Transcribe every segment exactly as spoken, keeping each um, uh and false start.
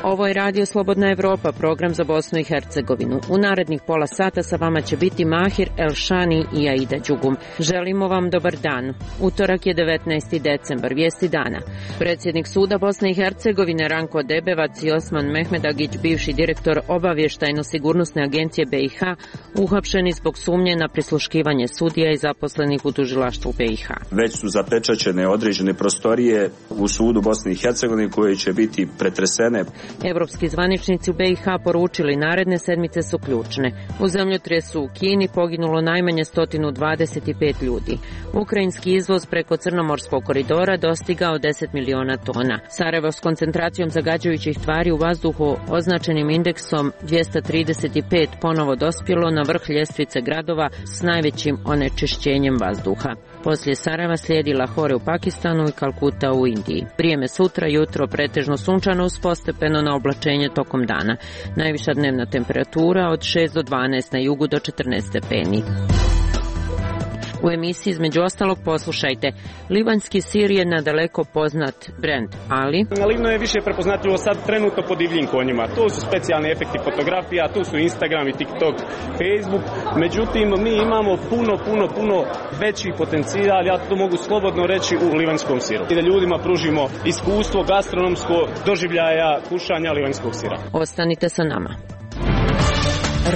Ovo je Radio Slobodna Evropa, program za Bosnu i Hercegovinu. U narednih pola sata sa vama će biti Mahir Elšani i Aida Đugum. Želimo vam dobar dan. Utorak je devetnaesti decembar, vijesti dana. Predsjednik suda Bosne i Hercegovine Ranko Debevac i Osman Mehmedagić, bivši direktor obavještajno-sigurnosne agencije be i ha, uhapšeni zbog sumnje na prisluškivanje sudija i zaposlenih u tužilaštvu be i ha. Već su zapečaćene određene prostorije u sudu Bosne i Hercegovine koje će biti pretresene. Evropski zvaničnici u be i ha poručili naredne sedmice su ključne. U zemljotresu u Kini poginulo najmanje sto dvadeset pet ljudi. Ukrajinski izvoz preko Crnomorskog koridora dostigao deset miliona tona. Sarajevo s koncentracijom zagađujućih tvari u vazduhu označenim indeksom dvjesto trideset pet ponovo dospjelo na vrh ljestvice gradova s najvećim onečišćenjem vazduha. Poslije Sarajeva slijedi Lahore u Pakistanu i Kalkuta u Indiji. Vrijeme sutra, jutro pretežno sunčano uz postepeno na oblačenje tokom dana. Najviša dnevna temperatura od šest do dvanaest, na jugu do četrnaest stepeni. U emisiji između ostalog poslušajte: libanjski sir je nadaleko poznat brend, ali na Livnu je više prepoznatljivo sad trenutno po divljim konjima. Tu su specijalni efekti fotografija, tu su Instagram i TikTok, Facebook. Međutim, mi imamo puno, puno, puno veći potencijal, ja to mogu slobodno reći, u livanjskom siru. I da ljudima pružimo iskustvo gastronomsko doživljaja kušanja livanjskog sira. Ostanite sa nama.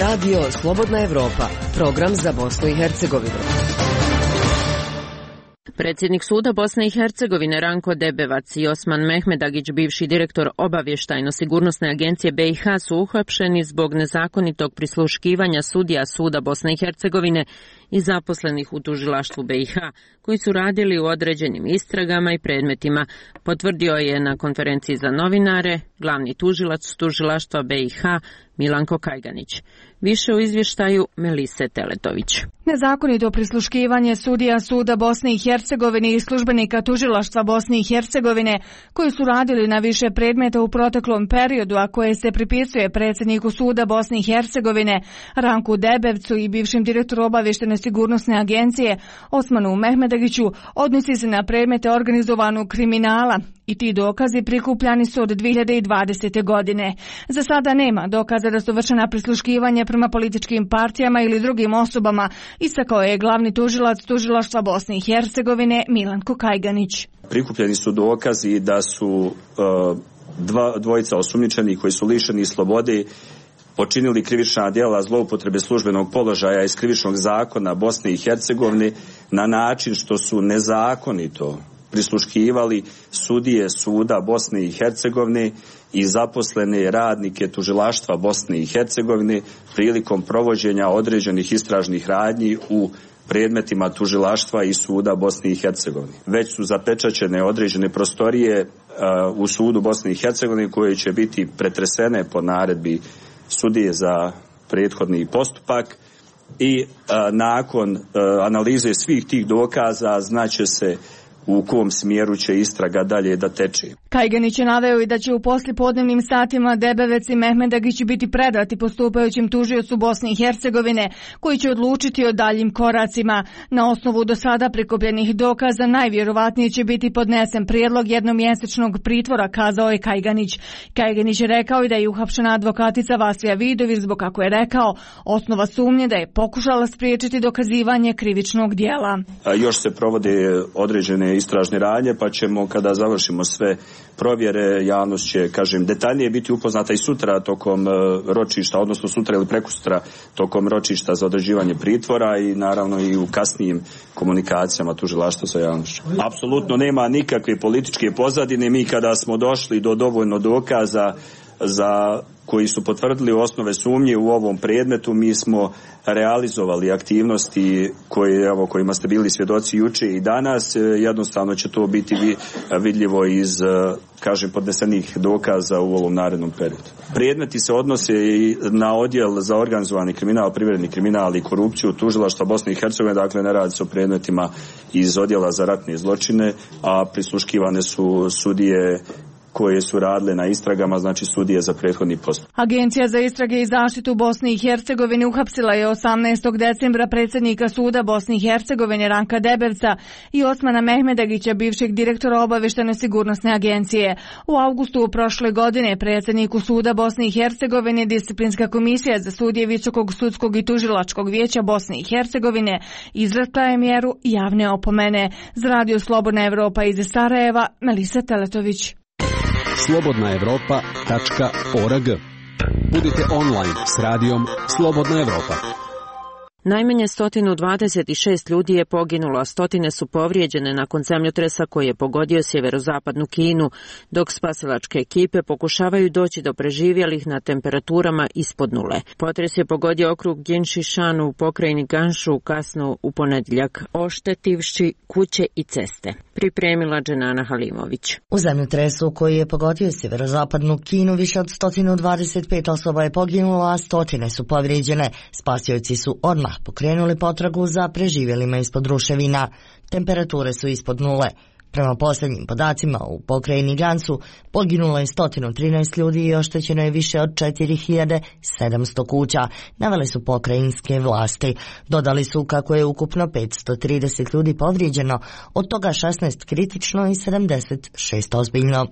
Radio Slobodna Evropa, program za Bosnu i Hercegovinu. Predsjednik suda Bosne i Hercegovine Ranko Debevac i Osman Mehmedagić, bivši direktor obavještajno-sigurnosne agencije be i ha, su uhapšeni zbog nezakonitog prisluškivanja sudija suda Bosne i Hercegovine i zaposlenih u tužilaštvu be i ha, koji su radili u određenim istragama i predmetima, potvrdio je na konferenciji za novinare glavni tužilac tužilaštva be i ha Milanko Kajganić. Više u izvještaju Melise Teletović. Nezakonito prisluškivanje sudija suda Bosne i Hercegovine i službenika tužilaštva Bosne i Hercegovine koji su radili na više predmeta u proteklom periodu, a koje se pripisuje predsjedniku suda Bosne i Hercegovine Ranku Debevcu i bivšim direktoru obavještene sigurnosne agencije Osmanu Mehmedagiću, odnosi se na predmete organizovanog kriminala i ti dokazi prikupljani su od dvije hiljade dvadesete. godine. Za sada nema dokaza da su vršena prisluškivanja prema političkim partijama ili drugim osobama, istakao je glavni tužilac tužilaštva Bosne i Hercegovine Milanko Kajganić. Prikupljeni su dokazi da su uh, dva, dvojica osumnjičenih koji su lišeni slobode počinili krivična djela zloupotrebe službenog položaja iz krivičnog zakona Bosne i Hercegovine na način što su nezakonito prisluškivali sudije suda Bosne i Hercegovine i zaposlene radnike tužilaštva Bosne i Hercegovine prilikom provođenja određenih istražnih radnji u predmetima tužilaštva i suda Bosne i Hercegovine. Već su zapečaćene određene prostorije uh, u sudu Bosne i Hercegovine koje će biti pretresene po naredbi sudije za prethodni postupak i uh, nakon uh, analize svih tih dokaza znaće se u kom smjeru će istraga dalje da teče. Kajganić je naveo i da će u poslijepodnevnim satima Debevec i Mehmedagić biti predati postupajućem tužiocu Bosne i Hercegovine, koji će odlučiti o daljim koracima. Na osnovu do sada prikupljenih dokaza najvjerovatnije će biti podnesen prijedlog jednomjesečnog pritvora, kazao je Kajganić. Kajganić je rekao i da je uhapšena advokatica Vasilija Vidović zbog, kako je rekao, osnova sumnje da je pokušala spriječiti dokazivanje krivičnog djela. A još se provode određene istražne radnje, pa ćemo kada završimo sve provjere, javnost će, kažem, detaljnije biti upoznata i sutra tokom ročišta, odnosno sutra ili prekosutra tokom ročišta za određivanje pritvora i naravno i u kasnijim komunikacijama tužilaštva sa javnošću. Apsolutno nema nikakve političke pozadine. Mi kada smo došli do dovoljno dokaza za koji su potvrdili osnove sumnje u ovom predmetu, mi smo realizovali aktivnosti koje, evo, kojima ste bili svjedoci juče i danas. Jednostavno će to biti vidljivo iz, kažem, podnesenih dokaza u ovom narednom periodu. Predmeti se odnose i na odjel za organizovani kriminal, privredni kriminal i korupciju tužilaštva Bosne i Hercegovine, dakle ne radi se o predmetima iz odjela za ratne zločine, a prisluškivane su sudije koje su radile na istragama, znači sudije za prethodni postupak. Agencija za istrage i zaštitu Bosne i Hercegovine uhapsila je osamnaestog decembra predsjednika suda Bosne i Hercegovine Ranka Debevca i Osmana Mehmedagića, bivšeg direktora obavještajno-sigurnosne agencije. U avgustu prošle godine predsjedniku suda Bosne i Hercegovine Disciplinska komisija za sudije Visokog sudskog i tužilačkog vijeća Bosne i Hercegovine izrekla je mjeru javne opomene. Za Radio Slobodna Evropa iz Sarajeva, Melisa Teletović. slobodna evropa tačka org. Budite online s radijom Slobodna Evropa. Najmanje sto dvadeset šest ljudi je poginulo, a stotine su povrijeđene nakon zemljotresa koji je pogodio sjeverozapadnu Kinu, dok spasilačke ekipe pokušavaju doći do preživjelih na temperaturama ispod nule. Potres je pogodio okrug Jinshishan u pokrajini Gansu kasno u ponedjeljak, oštetivši kuće i ceste. Pripremila Dženana Halimović. U zemljotresu koji je pogodio sjeverozapadnu Kinu više od sto dvadeset pet osoba je poginulo, a stotine su povrijeđene. Spasioci su odmah pokrenuli potragu za preživjelima ispod ruševina. Temperature su ispod nule. Prema posljednjim podacima u pokrajini Gansu poginulo je sto trinaest ljudi i oštećeno je više od četiri hiljade sedamsto kuća, navele su pokrajinske vlasti. Dodali su kako je ukupno petsto trideset ljudi povrijeđeno, od toga šesnaest kritično i sedamdeset šest ozbiljno.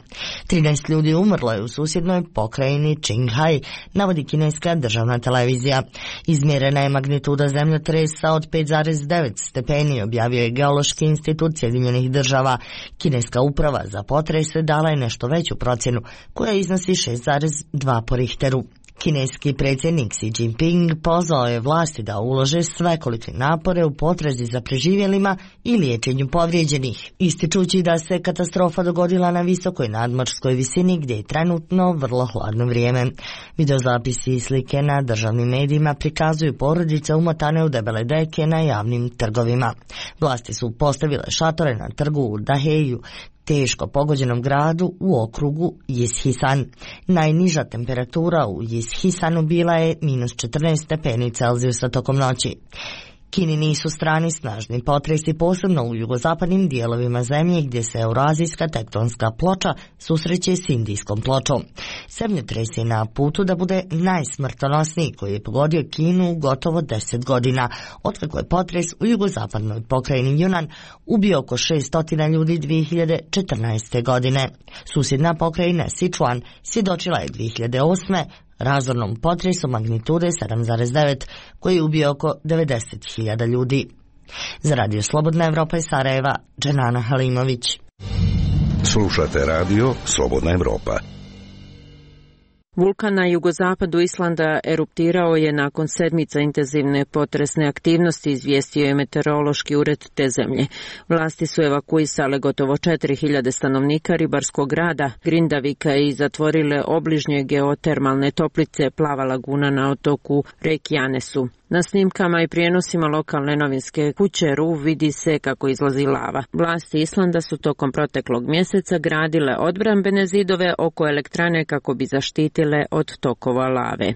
trinaest ljudi umrlo je u susjednoj pokrajini Qinghai, navodi kineska državna televizija. Izmjerena je magnituda zemljotresa od pet zarez devet stepeni, objavio je Geološki institut Sjedinjenih država. Kineska uprava za potrese dala je nešto veću procjenu, koja iznosi šest zarez dva po Richteru. Kineski predsjednik Xi Jinping pozvao je vlasti da ulože svekolike napore u potrazi za preživjelima i liječenju povrijeđenih, ističući da se katastrofa dogodila na visokoj nadmorskoj visini gdje je trenutno vrlo hladno vrijeme. Videozapisi i slike na državnim medijima prikazuju porodice umotane u debele deke na javnim trgovima. Vlasti su postavile šatore na trgu u Daheju, teško pogođenom gradu u okrugu Jishisan. Najniža temperatura u Jishisanu bila je minus četrnaest stepeni Celzijusa tokom noći. Kini nisu strani snažni potresi, posebno u jugozapadnim dijelovima zemlje gdje se eurazijska tektonska ploča susreće s indijskom pločom. Zemljotres je na putu da bude najsmrtonosniji koji je pogodio Kinu gotovo deset godina, otkako je potres u jugozapadnoj pokrajini Yunnan ubio oko šesto ljudi dvije hiljade četrnaeste. godine. Susjedna pokrajina Sichuan svjedočila je dvije hiljade osme. razornom potresu magnitude sedam zarez devet koji je ubio oko devedeset hiljada ljudi. Za Radio Slobodna Evropa iz Sarajeva, Dženana Halimović. Slušate radio Slobodna Evropa. Vulkan na jugozapadu Islanda eruptirao je nakon sedmica intenzivne potresne aktivnosti, izvijestio je meteorološki ured te zemlje. Vlasti su evakuisale gotovo četiri hiljade stanovnika ribarskog grada Grindavika i zatvorile obližnje geotermalne toplice Plava laguna na otoku Reykjanesu. Na snimkama i prijenosima lokalne novinske kuće R U vidi se kako izlazi lava. Vlasti Islanda su tokom proteklog mjeseca gradile odbrambene zidove oko elektrane kako bi zaštitile od tokova lave.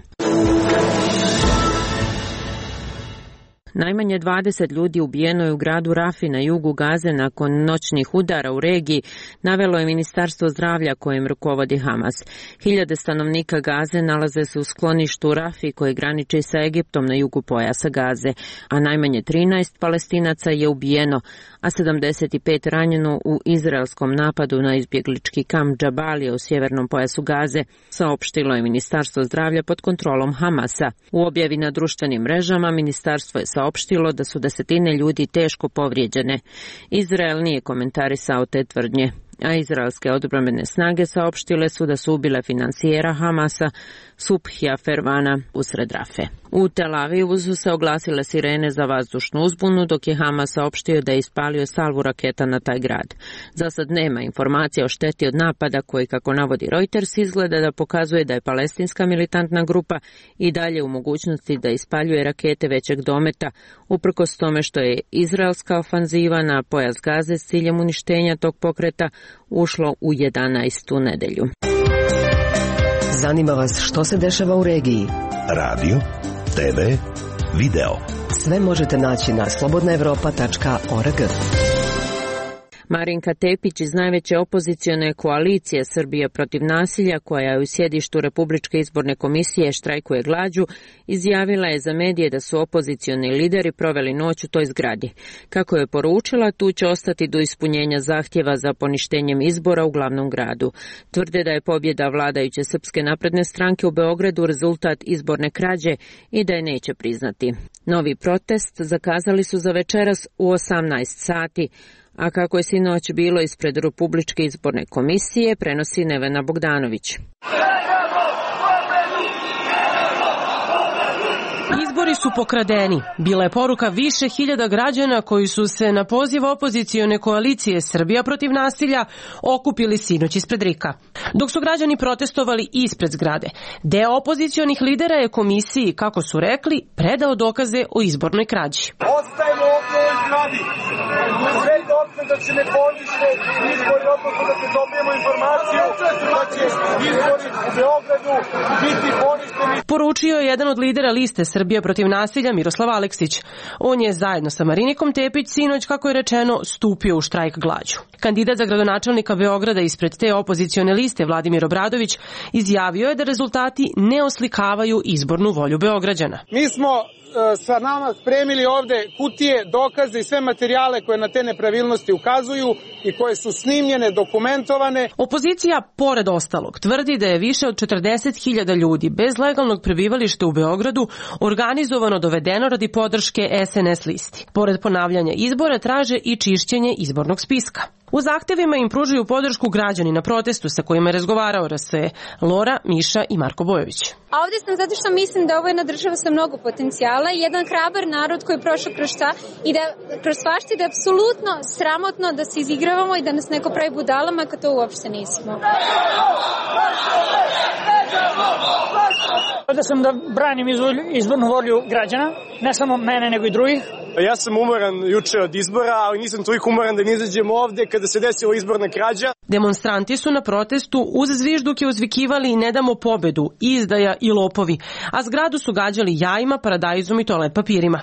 Najmanje dvadeset ljudi ubijeno je u gradu Rafi na jugu Gaze nakon noćnih udara u regiji, navelo je Ministarstvo zdravlja kojim rukovodi Hamas. Hiljade stanovnika Gaze nalaze se u skloništu Rafi koji graniči sa Egiptom na jugu pojasa Gaze, a najmanje trinaest Palestinaca je ubijeno, a sedamdeset pet ranjeno u izraelskom napadu na izbjeglički kamp Džabalija u sjevernom pojasu Gaze, saopštilo je Ministarstvo zdravlja pod kontrolom Hamasa. U objavi na društvenim mrežama ministarstvo je saopštilo da su desetine ljudi teško povrijeđene. Izrael nije komentarisao te tvrdnje, a izraelske odbrambene snage saopštile su da su ubile finansijera Hamasa Subhija Fervana usred Rafe. U Tel Avivu su se oglasile sirene za vazdušnu uzbunu, dok je Hamas saopštio da je ispalio salvu raketa na taj grad. Za sad nema informacija o šteti od napada koji, kako navodi Reuters, izgleda da pokazuje da je palestinska militantna grupa i dalje u mogućnosti da ispaljuje rakete većeg dometa, uprkos tome što je izraelska ofanziva na pojas Gaze s ciljem uništenja tog pokreta ušlo u jedanaestu nedelju. Zanima vas što se dešava u regiji? Radio, te ve, video. Sve možete naći na slobodna evropa tačka org. Marinka Tepić iz najveće opozicione koalicije Srbije protiv nasilja, koja je u sjedištu Republičke izborne komisije štrajkuje glađu, izjavila je za medije da su opozicioni lideri proveli noć u toj zgradi. Kako je poručila, tu će ostati do ispunjenja zahtjeva za poništenjem izbora u glavnom gradu. Tvrde da je pobjeda vladajuće Srpske napredne stranke u Beogradu rezultat izborne krađe i da je neće priznati. Novi protest zakazali su za večeras u osamnaest sati, a kako je sinoć bilo ispred Republičke izborne komisije, prenosi Nevena Bogdanović. Izbori su pokradeni. Bila je poruka više hiljada građana koji su se na poziv opozicione koalicije Srbija protiv nasilja okupili sinoć ispred Rika. Dok su građani protestovali ispred zgrade, deo opozicionih lidera je komisiji, kako su rekli, predao dokaze o izbornoj krađi. Ostajemo ovdje u ovoj zgradi. Sve dotle da će ne ponište izbori, odnosno da se dobijemo informaciju da će izbori u Beogradu biti poništeni. Poručio je jedan od lidera liste Srbija protiv nasilja Miroslav Aleksić. On je zajedno sa Marinikom Tepić sinoć, kako je rečeno, stupio u štrajk glađu. Kandidat za gradonačelnika Beograda ispred te opozicione liste Vladimir Obradović izjavio je da rezultati ne oslikavaju izbornu volju Beograđana. Mi smo sa nama spremili ovde kutije, dokaze i sve materijale koje na te nepravilnosti ukazuju i koje su snimljene, dokumentovane. Opozicija, pored ostalog, tvrdi da je više od četrdeset hiljada ljudi bez legalnog prebivališta u Beogradu organizovano dovedeno radi podrške es en es listi. Pored ponavljanja izbora traže i čišćenje izbornog spiska. U zahtevima im pružuju podršku građani na protestu sa kojima je razgovarao R S E, Lora, Miša i Marko Bojović. A ovdje sam zato što mislim da ovo je jedna država sa mnogo potencijala i jedan hrabar narod koji je prošao kroz šta i da kroz svašta da je apsolutno sramotno da se izigravamo i da nas neko pravi budalama kad to uopšte nismo. Ovdje sam da branim izbornu volju građana, ne samo mene nego i drugih. Ja sam umoran juče od izbora, ali nisam toliko umoran da ne izađem ovde kada se desila izborna krađa. Demonstranti su na protestu uz zvižduke uzvikivali ne damo pobedu, izdaja i lopovi, a zgradu su gađali jajima, paradajzom i toalet papirima.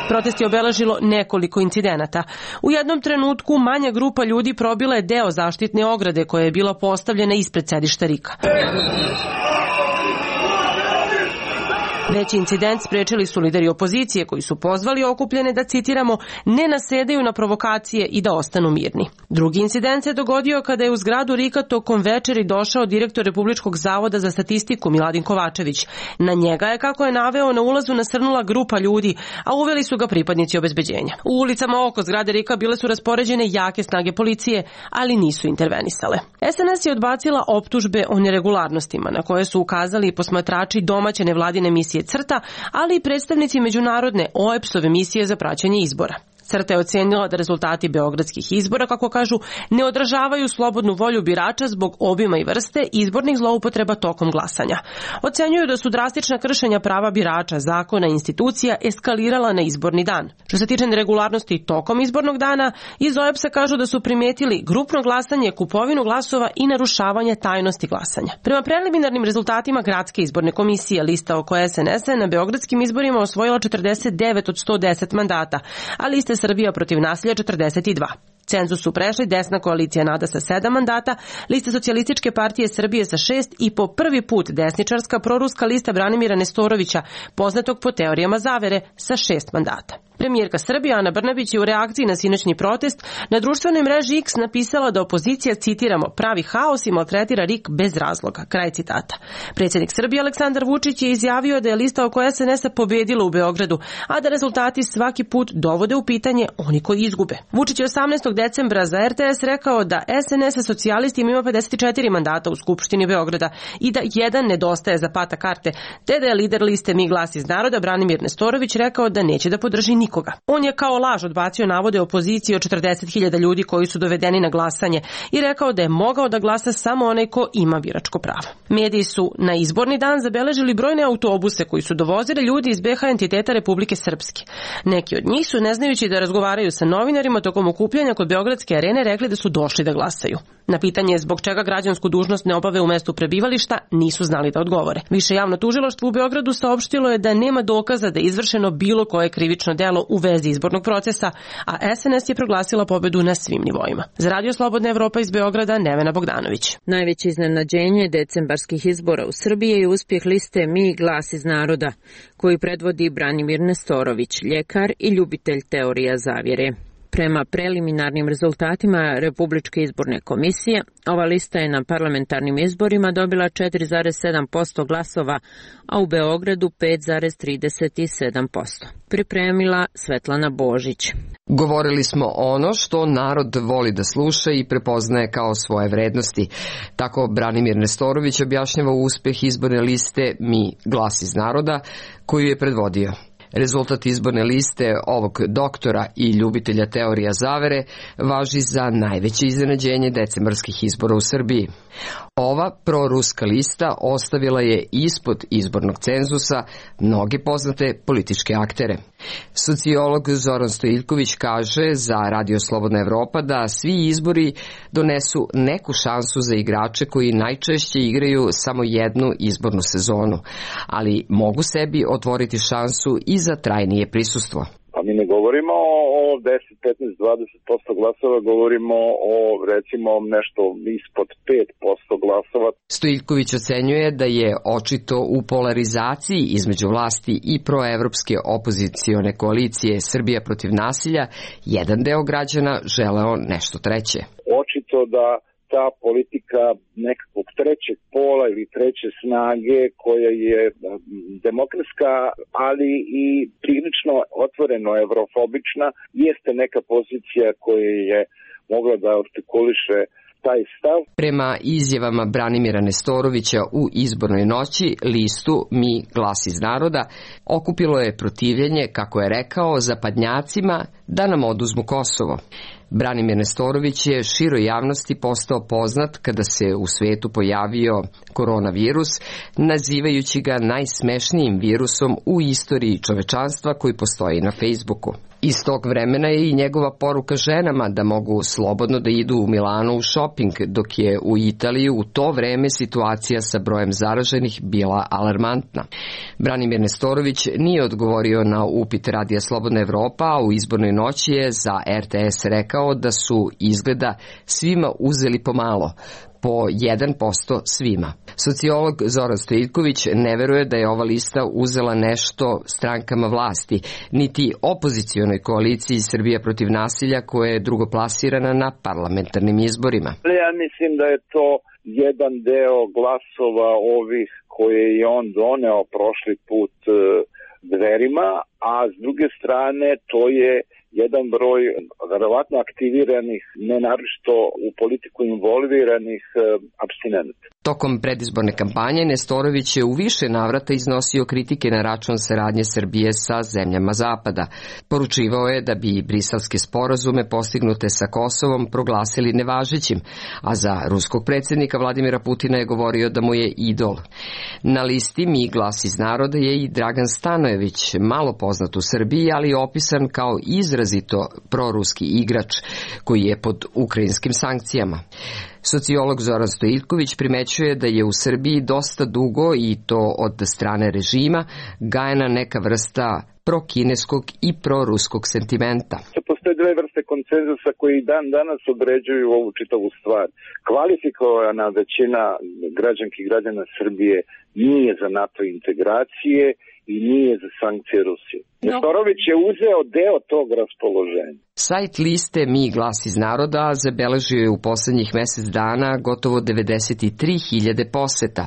Protest je obeležilo nekoliko incidenata. U jednom trenutku manja grupa ljudi probila je deo zaštitne ograde koja je bila postavljena ispred sedišta Rika. Veći incident sprečili su lideri opozicije koji su pozvali okupljene da, citiramo, ne nasedaju na provokacije i da ostanu mirni. Drugi incident se dogodio kada je u zgradu Rika tokom večeri došao direktor Republičkog zavoda za statistiku Miladin Kovačević. Na njega je, kako je naveo, na ulazu nasrnula grupa ljudi, a uveli su ga pripadnici obezbeđenja. U ulicama oko zgrade Rika bile su raspoređene jake snage policije, ali nisu intervenisale. es en es je odbacila optužbe o neregularnostima na koje su ukazali posmatrači domaće nevladine misije Crta, ali i predstavnici međunarodne O E P S-ove misije za praćenje izbora. Crta je ocenila da rezultati beogradskih izbora, kako kažu, ne odražavaju slobodnu volju birača zbog obima i vrste izbornih zloupotreba tokom glasanja. Ocenjuju da su drastična kršenja prava birača, zakona i institucija eskalirala na izborni dan. Što se tiče neregularnosti tokom izbornog dana, iz O E P S-a kažu da su primetili grupno glasanje, kupovinu glasova i narušavanje tajnosti glasanja. Prema preliminarnim rezultatima Gradske izborne komisije, lista oko es en es-a na beogradskim izborima osvojila četrdeset devet od sto deset mandata, a lista Srbija protiv nasilja četrdeset dva. Cenzus su prešli desna koalicija Nada sa sedam mandata, lista Socijalističke partije Srbije sa šest i po prvi put desničarska proruska lista Branimira Nestorovića, poznatog po teorijama zavere, sa šest mandata. Premijerka Srbije Ana Brnabić je u reakciji na sinoćni protest na društvenoj mreži X napisala da opozicija, citiramo, pravi haos i maltretira Rik bez razloga. Kraj citata. Predsjednik Srbije Aleksandar Vučić je izjavio da je lista oko es en es-a pobedila u Beogradu, a da rezultati svaki put dovode u pitanje oni koji izgube. Vučić je osamnaestog decembra za er te es rekao da es en es sa socijalistima ima pedeset četiri mandata u Skupštini Beograda i da jedan nedostaje za pata karte, te da je lider liste Mi glas iz naroda Branimir Nestorović rekao da neće da podrži nikoga. On je kao laž odbacio navode opozicije od četrdeset hiljada ljudi koji su dovedeni na glasanje i rekao da je mogao da glasa samo onaj ko ima biračko pravo. Mediji su na izborni dan zabeležili brojne autobuse koji su dovozili ljudi iz be ha entiteta Republike Srpske. Neki od njih su, ne znajući da razgovaraju sa novinarima tokom okupljanja kod Beogradske arene, rekli da su došli da glasaju. Na pitanje zbog čega građansku dužnost ne obave u mestu prebivališta, nisu znali da odgovore. Više javno tužilaštvo u Beogradu saopštilo je da nema dokaza da je izvršeno bilo koje krivično delo bilo u vezi izbornog procesa, a S N S je proglasila pobedu na svim nivoima. Za Radio Slobodna Evropa iz Beograda, Nevena Bogdanović. Najveće iznenađenje decembarskih izbora u Srbiji je uspjeh liste Mi glas iz naroda, koju predvodi Branimir Nestorović, ljekar i ljubitelj teorija zavjere. Prema preliminarnim rezultatima Republičke izborne komisije, ova lista je na parlamentarnim izborima dobila četiri zarez sedam posto glasova, a u Beogradu pet zarez trideset sedam posto. Pripremila Svetlana Božić. Govorili smo ono što narod voli da sluša i prepoznaje kao svoje vrednosti. Tako Branimir Nestorović objašnjava uspjeh izborne liste Mi glas iz naroda, koju je predvodio. Rezultat izborne liste ovog doktora i ljubitelja teorija zavere važi za najveće iznenađenje decembarskih izbora u Srbiji. Ova proruska lista ostavila je ispod izbornog cenzusa mnoge poznate političke aktere. Sociolog Zoran Stojiljković kaže za Radio Slobodna Evropa da svi izbori donesu neku šansu za igrače koji najčešće igraju samo jednu izbornu sezonu, ali mogu sebi otvoriti šansu i za trajnije prisustvo. Pa mi ne govorimo o deset, petnaest, dvadeset posto glasova, govorimo o recimo nešto ispod pet posto glasova. Stojiljković ocenjuje da je očito u polarizaciji između vlasti i proevropske opozicione koalicije Srbija protiv nasilja jedan deo građana želeo nešto treće. Očito da ta politika nekakvog trećeg pola ili treće snage koja je demokratska, ali i prilično otvoreno evrofobična, jeste neka pozicija koja je mogla da artikuliše taj stav. Prema izjavama Branimira Nestorovića u izbornoj noći, listu Mi glas iz naroda okupilo je protivljenje, kako je rekao, zapadnjacima da nam oduzmu Kosovo. Branimir Nestorović je široj javnosti postao poznat kada se u svetu pojavio koronavirus, nazivajući ga najsmešnijim virusom u istoriji čovečanstva koji postoji na Facebooku. Iz tog vremena je i njegova poruka ženama da mogu slobodno da idu u Milano u šoping, dok je u Italiji u to vreme situacija sa brojem zaraženih bila alarmantna. Branimir Nestorović nije odgovorio na upit Radija Slobodna Evropa, a u izbornoj noći je za R T S rekao da su izgleda svima uzeli pomalo, po jedan posto svima. Sociolog Zoran Stojiljković ne veruje da je ova lista uzela nešto strankama vlasti, niti opozicionoj koaliciji Srbija protiv nasilja koja je drugoplasirana na parlamentarnim izborima. Ja mislim da je to jedan deo glasova ovih koje je on doneo prošli put Dverima, a s druge strane to je jedan broj verovatno aktiviranih, ne naročito u politiku involviranih apstinenta. Tokom predizborne kampanje Nestorović je u više navrata iznosio kritike na račun saradnje Srbije sa zemljama Zapada. Poručivao je da bi briselske sporazume postignute sa Kosovom proglasili nevažećim, a za ruskog predsjednika Vladimira Putina je govorio da mu je idol. Na listi Mi glas iz naroda je i Dragan Stanojević, malo poznat u Srbiji, ali opisan kao izrazito proruski igrač koji je pod ukrajinskim sankcijama. Sociolog Zoran Stojiljković primećuje da je u Srbiji dosta dugo, i to od strane režima, gajena neka vrsta prokineskog i proruskog sentimenta. Postoje dve vrste konsenzusa koji dan danas određuju ovu čitavu stvar. Kvalifikovana većina građanki i građana Srbije nije za NATO integracije i nije za sankcije Rusije. Nestorović je uzeo deo tog raspoloženja. Sajt liste Mi glas iz naroda zabeležio je u poslednjih mesec dana gotovo devedeset tri hiljade poseta.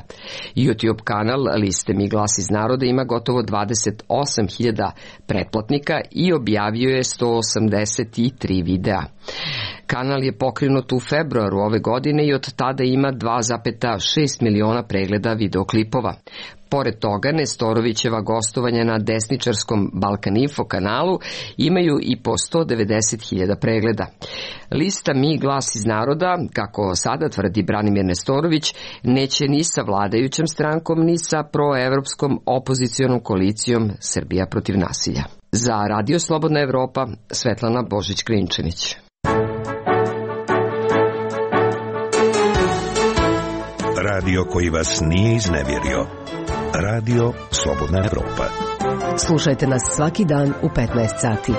YouTube kanal liste Mi glas iz naroda ima gotovo dvadeset osam hiljada pretplatnika i objavio je sto osamdeset tri videa. Kanal je pokrenut u februaru ove godine i od tada ima dva zarez šest miliona pregleda videoklipova. Pored toga, Nestorovićeva gostovanja na desničarskom Balkaninfo kanalu imaju i po sto devedeset hiljada pregleda. Lista Mi glas iz naroda, kako sada tvrdi Branimir Nestorović, neće ni sa vladajućom strankom, ni sa proevropskom opozicionom koalicijom Srbija protiv nasilja. Za Radio Slobodna Evropa, Svetlana Božić-Klinčanić. Radio koji vas nije iznevjerio. Radio Slobodna Evropa. Slušajte nas svaki dan u petnaest sati.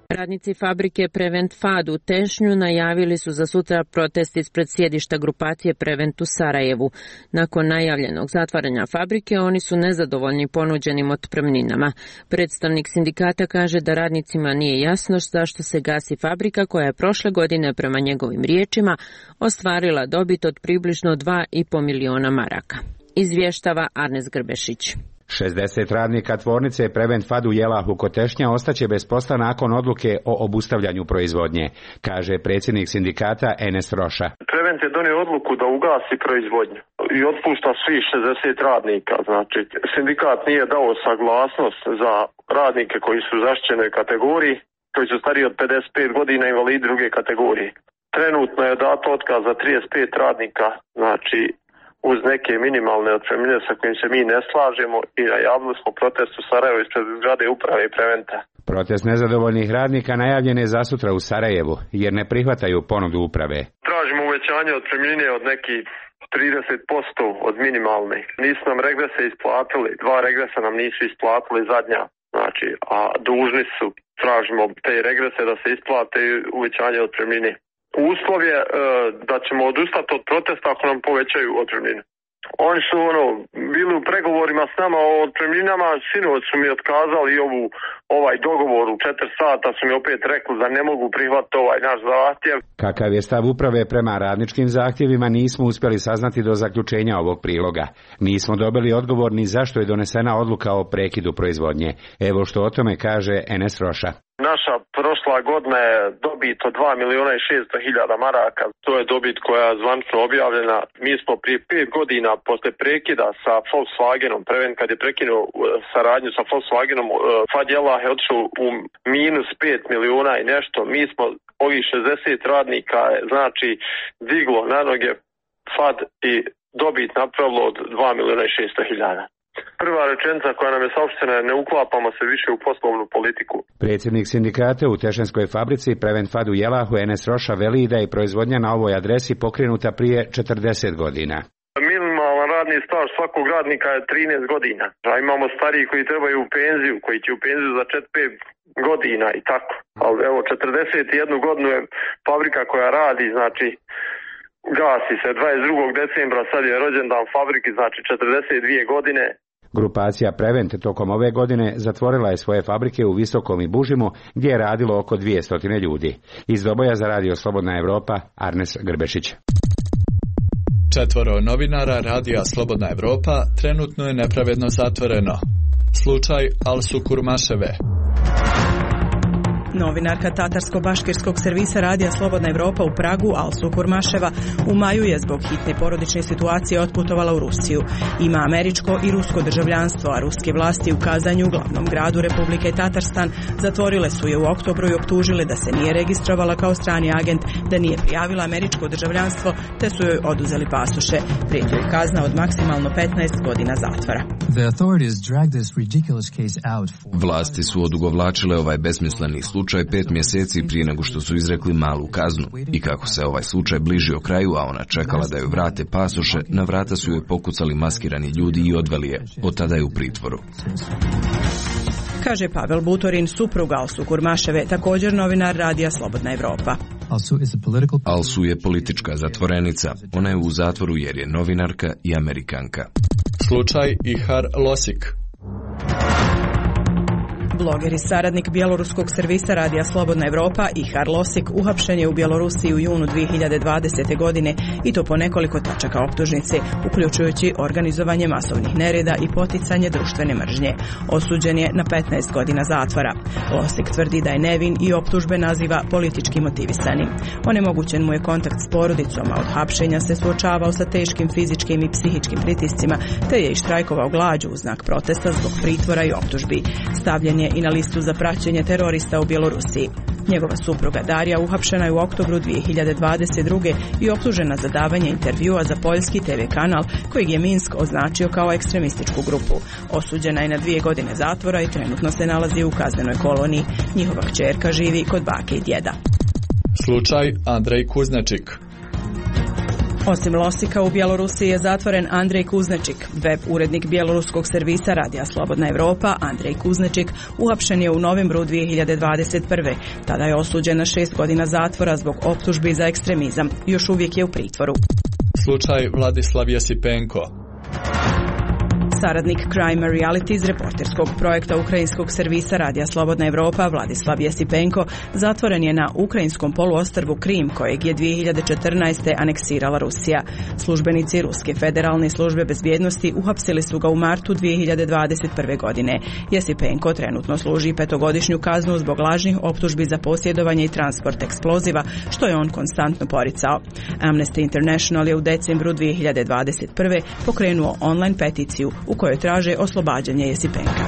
Radnici fabrike Prevent Fad u Tešnju najavili su za sutra protest ispred sjedišta grupacije Prevent u Sarajevu. Nakon najavljenog zatvaranja fabrike, oni su nezadovoljni ponuđenim otpremninama. Predstavnik sindikata kaže da radnicima nije jasno zašto se gasi fabrika koja je prošle godine, prema njegovim riječima, ostvarila dobit od približno dva i po miliona maraka. Izvještava Arnes Grbešić. šezdeset radnika tvornice Prevent Fad u Jelahu kod Tešnja ostaće bez posla nakon odluke o obustavljanju proizvodnje, kaže predsjednik sindikata Enes Roša. Prevent je donio odluku da ugasi proizvodnju i otpušta svih šezdeset radnika. Znači, sindikat nije dao saglasnost za radnike koji su u zaštićenoj kategoriji, koji su stariji od pedeset pet godina, invalidi druge kategorije. Trenutno je dato otkaz za trideset pet radnika, znači uz neke minimalne otpremnine sa kojim se mi ne slažemo, i najavili smo protest u Sarajevu ispred zgrade uprave i Preventa. Protest nezadovoljnih radnika najavljen je za sutra u Sarajevu, jer ne prihvataju ponudu uprave. Tražimo uvećanje otpremnine od nekih trideset posto od minimalne. Nisu nam regrese isplatili, dva regresa nam nisu isplatili zadnja, znači, a dužni su, tražimo te regrese da se isplate uvećanje otpremnine. Uslov je e, da ćemo odustati od protesta ako nam povećaju otpremnine. Oni su ono bili u pregovorima s nama o otpremninama, sinoć su mi otkazali ovu, ovaj dogovor u četiri sata, su mi opet rekli da ne mogu prihvatiti ovaj naš zahtjev. Kakav je stav uprave prema radničkim zahtjevima nismo uspjeli saznati do zaključenja ovog priloga. Nismo dobili odgovor ni zašto je donesena odluka o prekidu proizvodnje. Evo što o tome kaže Enes Roša. Naša prošla godina je dobit od dva miliona i šesto hiljada maraka. To je dobit koja je zvanično objavljena. Mi smo prije pet godina posle prekida sa Volkswagenom, Prevent kad je prekinuo saradnju sa Volkswagenom, Fad Jelah je otišao u minus pet miliona i nešto. Mi smo ovih šezdeset radnika, znači, diglo na noge Fad i dobit napravilo od dva miliona i šesto hiljada. Prva rečenica koja nam je saopštena je: ne uklapamo se više u poslovnu politiku. Predsjednik sindikata u Tešenskoj fabrici Prevent Fad u Jelahu Enes Roša veli da je proizvodnja na ovoj adresi pokrenuta prije četrdeset godina. Minimalan radni staž svakog radnika je trinaest godina. A imamo stariji koji trebaju u penziju, koji će u penziju za četiri pet godina i tako. Ali evo, četrdeset jednu godinu je fabrika koja radi, znači gasi se dvadeset drugog decembra, sad je rođendan fabriki, znači četrdeset dvije godine. Grupacija Prevent tokom ove godine zatvorila je svoje fabrike u Visokom i Bužimu, gdje je radilo oko dvjesto ljudi. Iz Doboja za Radio Slobodna Evropa, Arnes Grbešić. Četvoro novinara Radija Slobodna Evropa trenutno je nepravedno zatvoreno. Slučaj Alsu Kurmaševe. Novinarka tatarsko-baškirskog servisa Radija Slobodna Evropa u Pragu, Alsu Kurmaševa, u maju je zbog hitne porodične situacije otputovala u Rusiju. Ima američko i rusko državljanstvo, a ruske vlasti u Kazanju, glavnom gradu Republike Tatarstan, zatvorile su je u oktobru i optužile da se nije registrovala kao strani agent, da nije prijavila američko državljanstvo, te su joj oduzeli pasoše. Prijeti joj kazna od maksimalno petnaest godina zatvora. Vlasti su odugovlačile ovaj besmisleni slučaj slučaj pet mjeseci prije nego što su izrekli malu kaznu. I kako se ovaj slučaj bližio kraju, a ona čekala da joj vrate pasoše, na vrata su joj pokucali maskirani ljudi i odveli je. Od tada je u pritvoru. Kaže Pavel Butorin, suprug Alsu Kurmaševe, također novinar Radija Slobodna Evropa. Alsu je politička zatvorenica. Ona je u zatvoru jer je novinarka i Amerikanka. Slučaj Ihar Losik. Bloger i saradnik bjeloruskog servisa Radija Slobodna Evropa Ihar Losik uhapšen je u Bjelorusiji u junu dvije hiljade dvadesete. godine i to po nekoliko tačaka optužnice, uključujući organizovanje masovnih nereda i poticanje društvene mržnje. Osuđen je na petnaest godina zatvora. Losik tvrdi da je nevin i optužbe naziva politički motivisanim. Onemogućen mu je kontakt s porodicom, a od hapšenja se suočavao sa teškim fizičkim i psihičkim pritiscima, te je i štrajkovao glađu u znak protesta zbog pritvora i optužbi. Stavljen je i na listu za praćenje terorista u Bjelorusiji. Njegova supruga Darija uhapšena je u oktobru dvije hiljade dvadeset druge. i optužena za davanje intervjua za poljski te ve kanal kojeg je Minsk označio kao ekstremističku grupu. Osuđena je na dvije godine zatvora i trenutno se nalazi u kaznenoj koloniji. Njihova kćerka živi kod bake i djeda. Slučaj Andrej Kuznačik. Osim Losika, u Bjelorusiji je zatvoren Andrej Kuznečik. Web urednik bjeloruskog servisa Radija Slobodna Evropa, Andrej Kuznečik, uhapšen je u novembru dvije hiljade dvadeset prve. Tada je osuđen na šest godina zatvora zbog optužbi za ekstremizam. Još uvijek je u pritvoru. Slučaj Vladislav Jesipenko. Saradnik Crime Reality iz reporterskog projekta ukrajinskog servisa Radija Slobodna Evropa Vladislav Jesipenko zatvoren je na ukrajinskom poluostrvu Krim, kojeg je dvije hiljade četrnaeste aneksirala Rusija. Službenici Ruske federalne službe bezbjednosti uhapsili su ga u martu dvije hiljade dvadeset prve. godine. Jesipenko trenutno služi petogodišnju kaznu zbog lažnih optužbi za posjedovanje i transport eksploziva, što je on konstantno poricao. Amnesty International je u decembru dvije hiljade dvadeset prve. pokrenuo online peticiju u kojoj traže oslobađanje Jesipenka.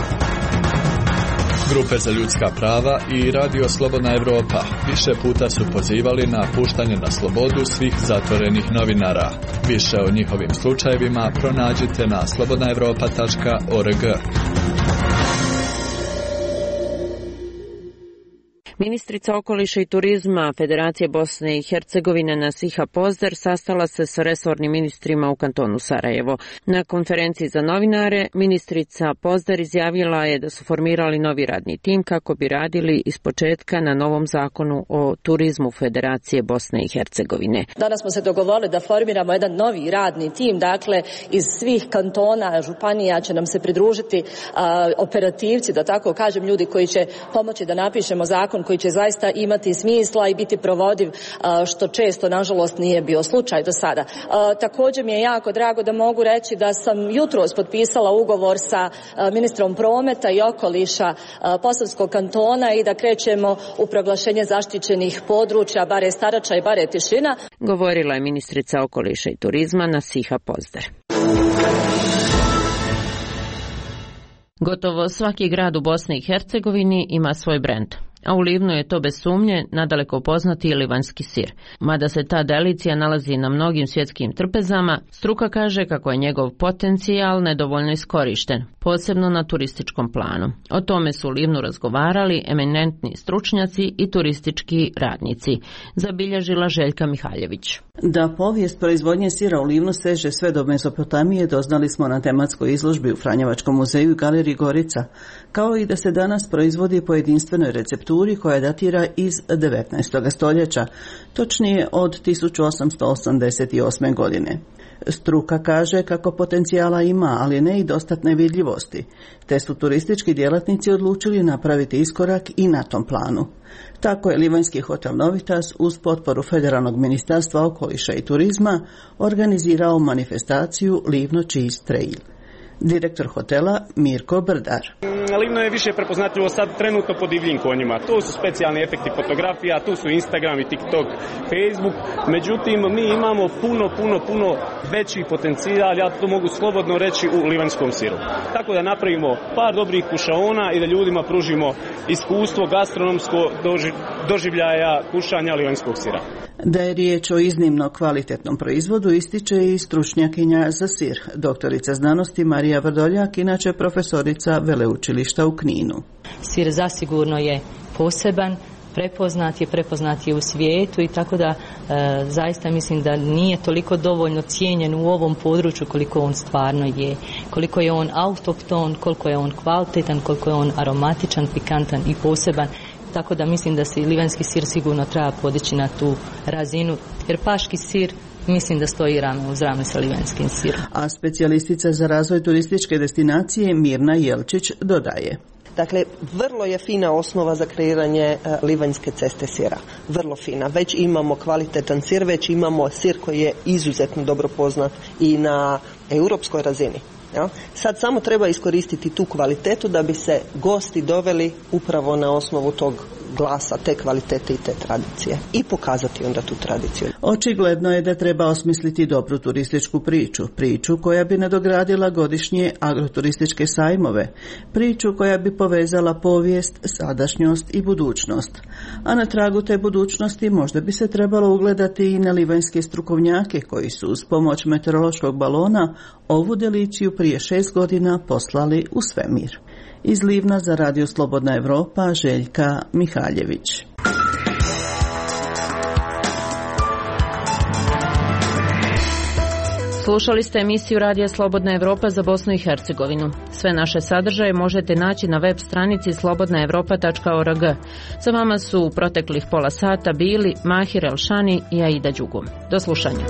Grupe za ljudska prava i Radio Slobodna Evropa više puta su pozivali na puštanje na slobodu svih zatvorenih novinara. Više o njihovim slučajevima pronađite na slobodna evropa tačka org. Ministrica okoliša i turizma Federacije Bosne i Hercegovine Nasiha Pozder sastala se s resornim ministrima u kantonu Sarajevo. Na konferenciji za novinare ministrica Pozder izjavila je da su formirali novi radni tim kako bi radili ispočetka na novom zakonu o turizmu Federacije Bosne i Hercegovine. Danas smo se dogovorili da formiramo jedan novi radni tim, dakle iz svih kantona, županija će nam se pridružiti a, operativci, da tako kažem, ljudi koji će pomoći da napišemo zakon koji će zaista imati smisla i biti provodiv, što često, nažalost, nije bio slučaj do sada. Također mi je jako drago da mogu reći da sam jutros potpisala ugovor sa ministrom prometa i okoliša Posavskog kantona i da krećemo u proglašenje zaštićenih područja Bare Starača i Bare Tišina. Govorila je ministrica okoliša i turizma Nasiha Pozder. Gotovo svaki grad u Bosni i Hercegovini ima svoj brend. A u Livnu je to bez sumnje nadaleko poznati livanjski sir. Mada se ta delicija nalazi na mnogim svjetskim trpezama, struka kaže kako je njegov potencijal nedovoljno iskorišten, posebno na turističkom planu. O tome su u Livnu razgovarali eminentni stručnjaci i turistički radnici, zabilježila Željka Mihaljević. Da povijest proizvodnje sira u Livnu seže sve do Mezopotamije doznali smo na tematskoj izložbi u Franjevačkom muzeju i galeriji Gorica, kao i da se danas proizvodi po jedinstvenoj recepturi koja datira iz devetnaestog stoljeća, točnije od tisuću osamsto osamdeset osme. godine. Struka kaže kako potencijala ima, ali ne i dostatne vidljivosti, te su turistički djelatnici odlučili napraviti iskorak i na tom planu. Tako je livanjski hotel Novitas uz potporu Federalnog ministarstva okoliša i turizma organizirao manifestaciju Livno Cheese Trail. Direktor hotela Mirko Brdar. Livno je više prepoznatljivo sad trenutno po divljim konjima. Tu su specijalni efekti fotografija, tu su Instagram i TikTok, Facebook. Međutim, mi imamo puno, puno, puno veći potencijal, ja to mogu slobodno reći, u livanjskom siru. Tako da napravimo par dobrih kušaona i da ljudima pružimo iskustvo gastronomsko doživljaja kušanja livanjskog sira. Da je riječ o iznimno kvalitetnom proizvodu ističe i stručnjakinja za sir, doktorica znanosti Marija Vrdoljak, inače profesorica veleučilišta u Kninu. Sir zasigurno je poseban, prepoznat je, prepoznat je u svijetu i tako da e, zaista mislim da nije toliko dovoljno cijenjen u ovom području koliko on stvarno je. Koliko je on autohton, koliko je on kvalitetan, koliko je on aromatičan, pikantan i poseban. Tako da mislim da se livanjski sir sigurno treba podići na tu razinu, jer paški sir mislim da stoji rame uz rame sa livanjskim sirom. A specijalistica za razvoj turističke destinacije Mirna Jelčić dodaje. Dakle, vrlo je fina osnova za kreiranje uh, livanjske ceste sira. Vrlo fina. Već imamo kvalitetan sir, već imamo sir koji je izuzetno dobro poznat i na europskoj razini. Ja? Sad samo treba iskoristiti tu kvalitetu da bi se gosti doveli upravo na osnovu tog glasa, te kvalitete i te tradicije i pokazati onda tu tradiciju. Očigledno je da treba osmisliti dobru turističku priču, priču koja bi nadogradila godišnje agroturističke sajmove, priču koja bi povezala povijest, sadašnjost i budućnost. A na tragu te budućnosti možda bi se trebalo ugledati i na livanjske strukovnjake koji su uz pomoć meteorološkog balona ovu deliciju prije šest godina poslali u svemir. Iz Livna za Radio Slobodna Evropa, Željka Mihaljević. Slušali ste emisiju Radija Slobodna Evropa za Bosnu i Hercegovinu. Sve naše sadržaje možete naći na web stranici slobodna evropa tačka org. Sa vama su u proteklih pola sata bili Mahir Elšani i Aida Đugum. Do slušanja.